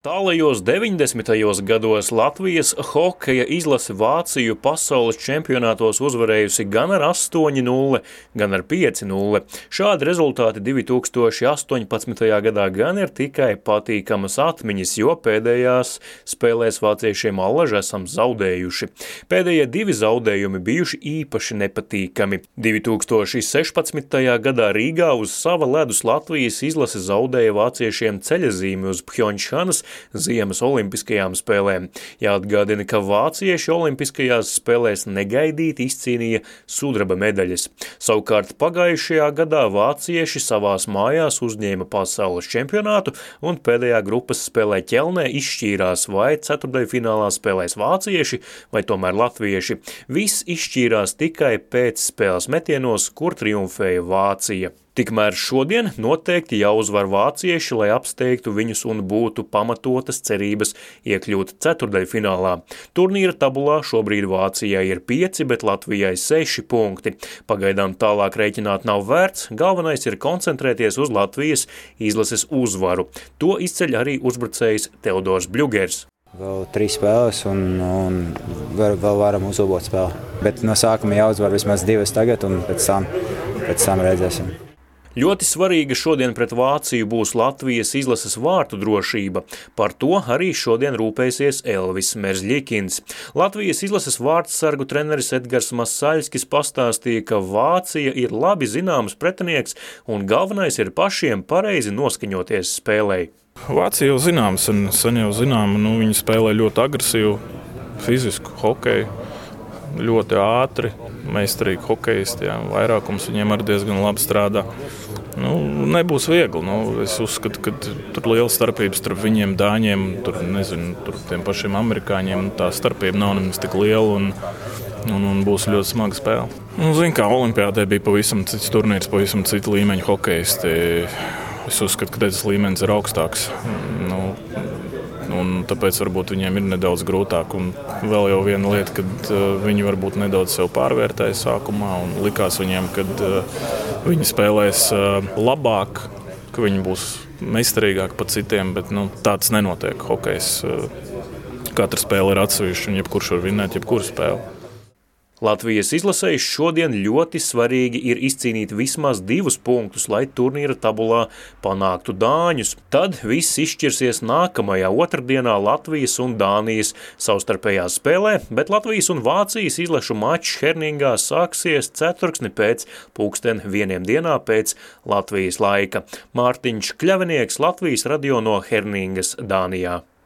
Tālajos 90. gados Latvijas hokeja izlase Vāciju pasaules čempionātos uzvarējusi gan ar 8-0, gan ar 5-0. Šādi rezultāti 2018. gadā gan ir tikai patīkamas atmiņas, jo pēdējās spēlēs vāciešiem allaž esam zaudējuši. Pēdējie divi zaudējumi bijuši īpaši nepatīkami. 2016. gadā Rīgā uz sava ledus Latvijas izlase zaudēja vāciešiem ceļazīmi uz Pjončhanas Ziemas olimpiskajām spēlēm. Jāatgādina, ka vācieši olimpiskajās spēlēs negaidīti izcīnīja sudraba medaļas. Savukārt pagājušajā gadā vācieši savās mājās uzņēma pasaules čempionātu un pēdējā grupas spēlē Ķelnē izšķīrās, vai ceturtdaļfinālā spēlēs vācieši vai tomēr latvieši. Viss izšķīrās tikai pēc spēles metienos, kur triumfēja Vācija. Tikmēr šodien noteikti jāuzvar vācieši, lai apsteigtu viņus un būtu pamatotas cerības iekļūt ceturtdaļfinālā. Turnīra tabulā šobrīd Vācijai ir 5, bet Latvijai 6 punkti. Pagaidām tālāk rēķināt nav vērts, galvenais ir koncentrēties uz Latvijas izlases uzvaru. To izceļ arī uzbrucējs Teodors Bļugers. Vēl 3 spēles un vēl varam uzlabot spēli. Bet no sākuma jāuzvar vismaz 2 tagad un pēc tam redzēsim. Ļoti svarīga šodien pret Vāciju būs Latvijas izlases vārtu drošība. Par to arī šodien rūpēsies Elvis Merzļikins. Latvijas izlases vārtsargu treneris Edgars Masaļskis pastāstīja, ka Vācija ir labi zināms pretinieks un galvenais ir pašiem pareizi noskaņoties spēlei. Vācija jau zināms un sen jau zinām, viņi spēlē ļoti agresīvu, fizisku hokeju, ļoti ātri, meistarīgi hokejisti, vairākums viņiem arī diezgan labi strādā. Nebūs viegli. Es uzskatu, ka tur liela starpības starp viņiem, dāņiem, tur tiem pašiem amerikāņiem. Tā starpība nav nemaz tik liela un būs ļoti smaga spēle. Zini, kā olimpiādē bija pavisam cits turnīrs, pavisam cita līmeņa hokejisti. Es uzskatu, ka tas līmenis ir augstāks. Un tāpēc varbūt viņiem ir nedaudz grūtāk. Un vēl jau viena lieta, kad viņi varbūt nedaudz sev pārvērtēja sākumā un likās viņiem, kad viņi spēlēs labāk, ka viņi būs meistarīgāki par citiem, bet tāds nenotiek hokejs. Katra spēle ir atsevišķa un jebkurš var vinēt jebkuru spēli. Latvijas izlasējs šodien ļoti svarīgi ir izcīnīt vismaz 2 punktus, lai turnīra tabulā panāktu dāņus. Tad viss izšķirsies nākamajā otrdienā Latvijas un Dānijas savstarpējā spēlē, bet Latvijas un Vācijas izlašu mačs Herningā sāksies ceturksni pēc 1:00 pēc Latvijas laika. Mārtiņš Kļavinieks, Latvijas radio no Herningas, Dānijā.